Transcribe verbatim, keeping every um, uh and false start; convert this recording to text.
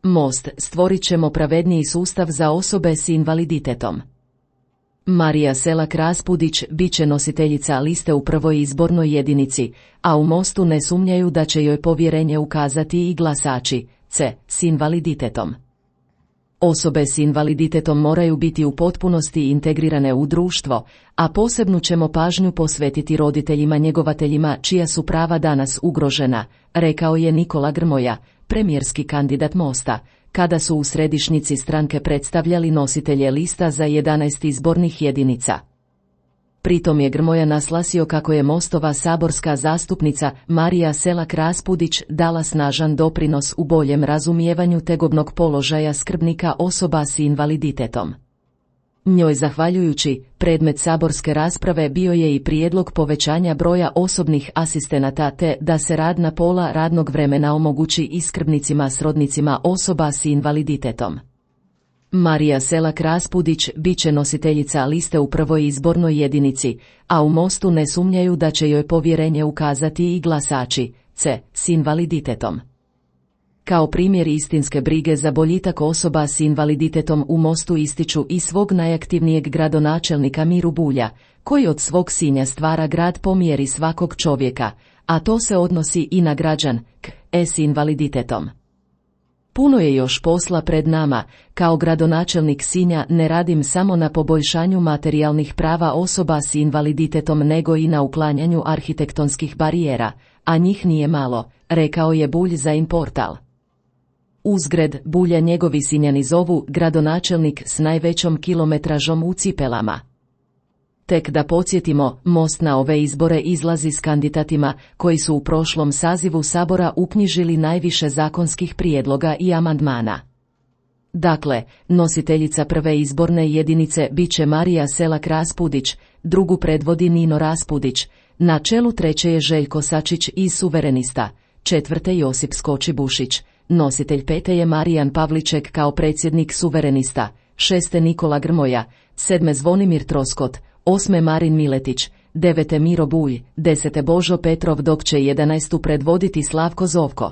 Most, stvorit ćemo pravedniji sustav za osobe s invaliditetom. Marija Selak Raspudić bit će nositeljica liste u prvoj izbornoj jedinici, a u Mostu ne sumnjaju da će joj povjerenje ukazati i glasači C s invaliditetom. Osobe s invaliditetom moraju biti u potpunosti integrirane u društvo, a posebnu ćemo pažnju posvetiti roditeljima njegovateljima čija su prava danas ugrožena, rekao je Nikola Grmoja, premijerski kandidat Mosta, kada su u središnjici stranke predstavljali nositelje lista za jedanaest izbornih jedinica. Pritom je Grmoja naslasio kako je Mostova saborska zastupnica Marija Selak Raspudić dala snažan doprinos u boljem razumijevanju tegobnog položaja skrbnika osoba s invaliditetom. Njoj zahvaljujući, predmet saborske rasprave bio je i prijedlog povećanja broja osobnih asistenata te da se rad na pola radnog vremena omogući i skrbnicima srodnicima osoba s invaliditetom. Marija Selak Raspudić bit će nositeljica liste u prvoj izbornoj jedinici, a u Mostu ne sumnjaju da će joj povjerenje ukazati i glasači C s invaliditetom. Kao primjer istinske brige za boljitak osoba s invaliditetom u Mostu ističu i svog najaktivnijeg gradonačelnika Miru Bulja, koji od svog Sinja stvara grad po mjeri svakog čovjeka, a to se odnosi i na građanke s invaliditetom. Puno je još posla pred nama, kao gradonačelnik Sinja ne radim samo na poboljšanju materijalnih prava osoba s invaliditetom nego i na uklanjanju arhitektonskih barijera, a njih nije malo, rekao je Bulj za Inportal. Uzgred, Bulja njegovi Sinjani zovu gradonačelnik s najvećom kilometražom u cipelama. Tek da podsjetimo, Most na ove izbore izlazi s kandidatima koji su u prošlom sazivu Sabora uknjižili najviše zakonskih prijedloga i amandmana. Dakle, nositeljica prve izborne jedinice bit će Marija Selak Raspudić, drugu predvodi Nino Raspudić, na čelu treće je Željko Sačić iz Suverenista, četvrte Josip Skoči-Bušić, nositelj pete je Marijan Pavliček kao predsjednik Suverenista, šeste Nikola Grmoja, sedme Zvonimir Troskot, osme Marin Miletić, devete Miro Bulj, desete Božo Petrov dok će jedanaestu predvoditi Slavko Zovko.